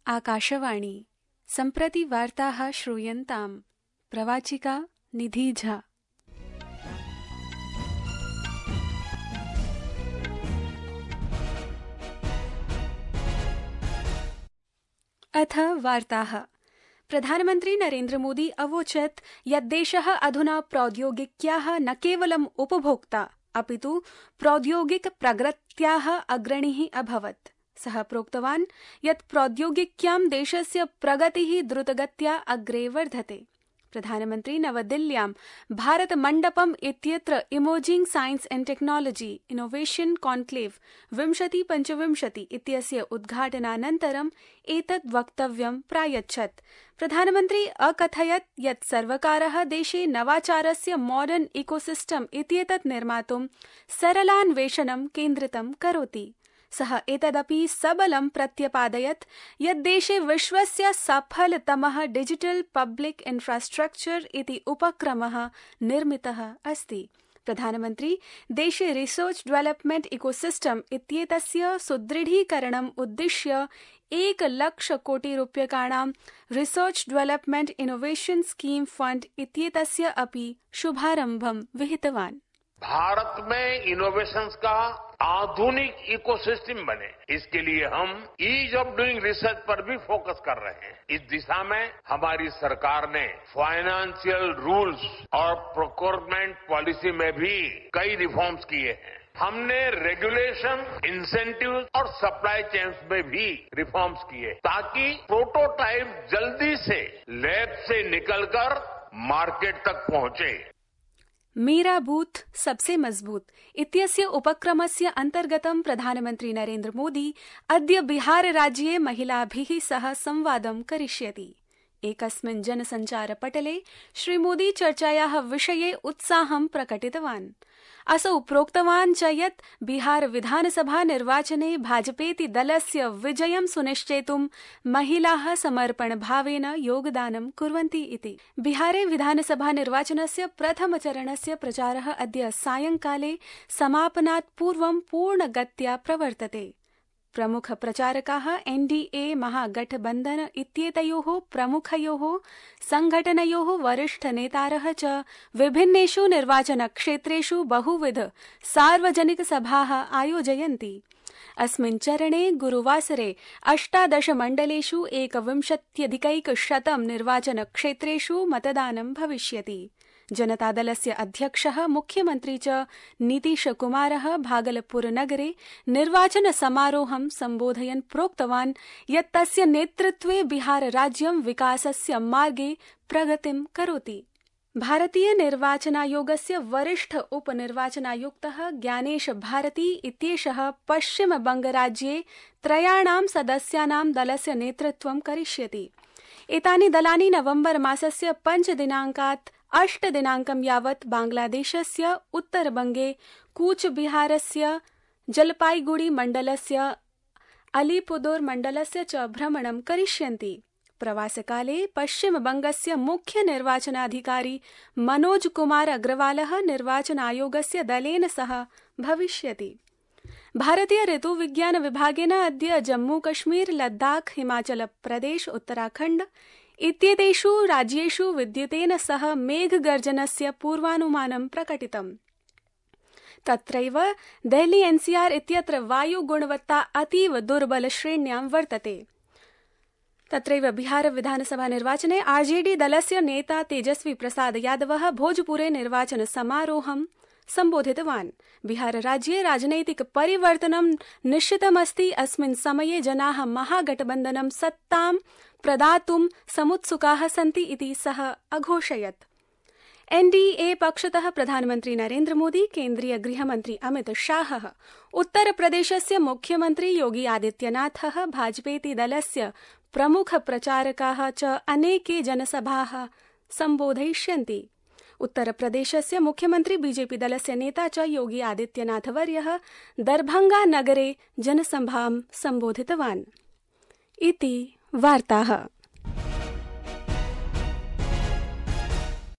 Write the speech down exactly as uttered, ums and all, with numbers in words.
आकाशवाणी सम्प्रति वार्ताः श्रूयन्ताम्। प्रवाचिका निधि झा। अथ वार्ताः। प्रधानमन्त्री नरेन्द्र मोदी अवोचत् यत् देशः अधुना प्रौद्योगिक्याः न केवलम् उपभोक्ता अपितु प्रौद्योगिक प्रगत्याः अग्रणीः अभवत्। सः प्रोक्तवान् यत् प्रौद्योगिक्यां देशस्य प्रगतिः द्रुतगत्या अग्रे वर्धते। प्रधानमन्त्री नवदिल्ल्यां भारत मण्डपम् इत्यत्र emerging science and technology innovation conclave विंशति पञ्चविंशति इत्यस्य उद्घाटनानन्तरम् एतत् वक्तव्यं प्रायच्छत्। प्रधानमन्त्री अकथयत् यत् सर्वकारः देशे नवाचारस्य मॉडर्न इकोसिस्टम इत्येतत् निर्मातुं सरलान्वेषणं केन्द्रितं करोति। सः एतदपि सबलं प्रत्यपादयत् यत् देशे विश्वस्य सफलतमः डिजिटल पब्लिक इंफ्रास्ट्रक्चर इति उपक्रमः निर्मितः अस्ति। प्रधानमन्त्री देशे रिसर्च डेवलपमेंट इकोसिस्टम इत्येतस्य सुदृढीकरणम् उद्दिश्य एक लक्ष कोटि रूप्यकाणां research development innovation scheme fund इत्येतस्य अपि शुभारम्भं विहितवान्। भारत में इनोवेशंस का आधुनिक इकोसिस्टम बने, इसके लिए हम ईज ऑफ डूइंग रिसर्च पर भी फोकस कर रहे हैं। इस दिशा में हमारी सरकार ने फाइनेंशियल रूल्स और प्रोक्योरमेंट पॉलिसी में भी कई रिफॉर्म्स किए हैं। हमने रेगुलेशन, इंसेंटिव और सप्लाई चेन्स में भी रिफॉर्म्स किए ताकि प्रोटोटाइप जल्दी से लैब से निकलकर मार्केट तक पहुंचे। मेरा बूथ सबसे मजबूत इत्यस्य उपक्रमस्य अन्तर्गतं प्रधानमन्त्री नरेन्द्र मोदी अद्य बिहार राज्ये महिलाभिः सह संवादं करिष्यति। एकस्मिन् जनसञ्चारपटले श्रीमोदी चर्चायाः विषये उत्साहं प्रकटितवान्। असौ प्रोक्तवान् च यत् बिहार विधानसभा निर्वाचने भाजपेति दलस्य विजयं सुनिश्चेतुं महिलाः समर्पणभावेन योगदानं कुर्वन्ति इति। बिहारे विधानसभा निर्वाचनस्य प्रथमचरणस्य प्रचारः अद्य सायंकाले समापनात् पूर्वं पूर्णगत्या प्रवर्तते। प्रमुख प्रचारकाः एनडीए महागठबन्धन इत्येतयोः प्रमुखयोः संघटनयोः वरिष्ठ नेतारः च विभिन्नेषु निर्वाचनक्षेत्रेषु बहुविध सार्वजनिक सभाः आयोजयन्ति। अस्मिन् चरणे गुरुवासरे अष्टादश मण्डलेषु एकविंशत्यधिकैकशतं निर्वाचनक्षेत्रेषु मतदानं भविष्यति। जनतादलस्य अध्यक्षः मुख्यमन्त्री च नीतीशकुमारः भागलपुर नगरे निर्वाचन समारोहं सम्बोधयन् प्रोक्तवान् यत् तस्य नेतृत्वे बिहार राज्यं विकासस्य मार्गे प्रगतिं करोति। भारतीय निर्वाचनायोगस्य वरिष्ठ उपनिर्वाचनायुक्तः ज्ञानेश भारती इत्येषः पश्चिम बंगराज्ये त्रयाणां सदस्यानां दलस्य नेतृत्वं करिष्यति। एतानि दलानि नवम्बर मासस्य पञ्च दिनाङ्कात् अष्ट दिनाङ्कं यावत् बांग्लादेशस्य उत्तरबंगे कूचबिहारस्य जलपाईगुड़ी मण्डलस्य अलीपुर मण्डलस्य च भ्रमणं करिष्यन्ति। प्रवासकाले पश्चिमबंगस्य मुख्य निर्वाचनाधिकारी मनोज कुमार अग्रवालः निर्वाचन आयोगस्य दलेन सह भविष्यति। भारतीय ऋतुविज्ञान विभागेन अद्य जम्मू कश्मीर, लद्दाख, हिमाचल प्रदेश, उत्तराखण्ड इत्येतेषु राज्येषु विद्युतेन सह मेघगर्जनस्य पूर्वानुमानं प्रकटितम्। तत्रैव देहली एनसीआर इत्यत्र वायुगुणवत्ता अतीव दुर्बल श्रेण्यां वर्तते। तत्रैव बिहार विधानसभा निर्वाचने आरजेडी दलस्य नेता तेजस्वी प्रसाद यादवः भोजपुरे निर्वाचन समारोहं सम्बोधितवान्। बिहार राज्ये राजनैतिक परिवर्तनं निश्चितमस्ति। अस्मिन् समये जनाः महागठबन्धनं सत्तां प्रदातुं समुत्सुकाः सन्ति इति सः अघोषयत्। एनडीए पक्षतः प्रधानमन्त्री नरेन्द्र मोदी, केन्द्रीय गृहमन्त्री अमित शाहः, उत्तरप्रदेशस्य मुख्यमन्त्री योगी आदित्यनाथः, भाजपेति दलस्य प्रमुख प्रचारकाः च अनेके जनसभाः सम्बोधयिष्यन्ति। उत्तरप्रदेशस्य मुख्यमन्त्री बीजेपी दलस्य नेता च योगी आदित्यनाथवर्यः दरभंगा नगरे जनसभां सम्बोधितवान्। इति वार्ताः।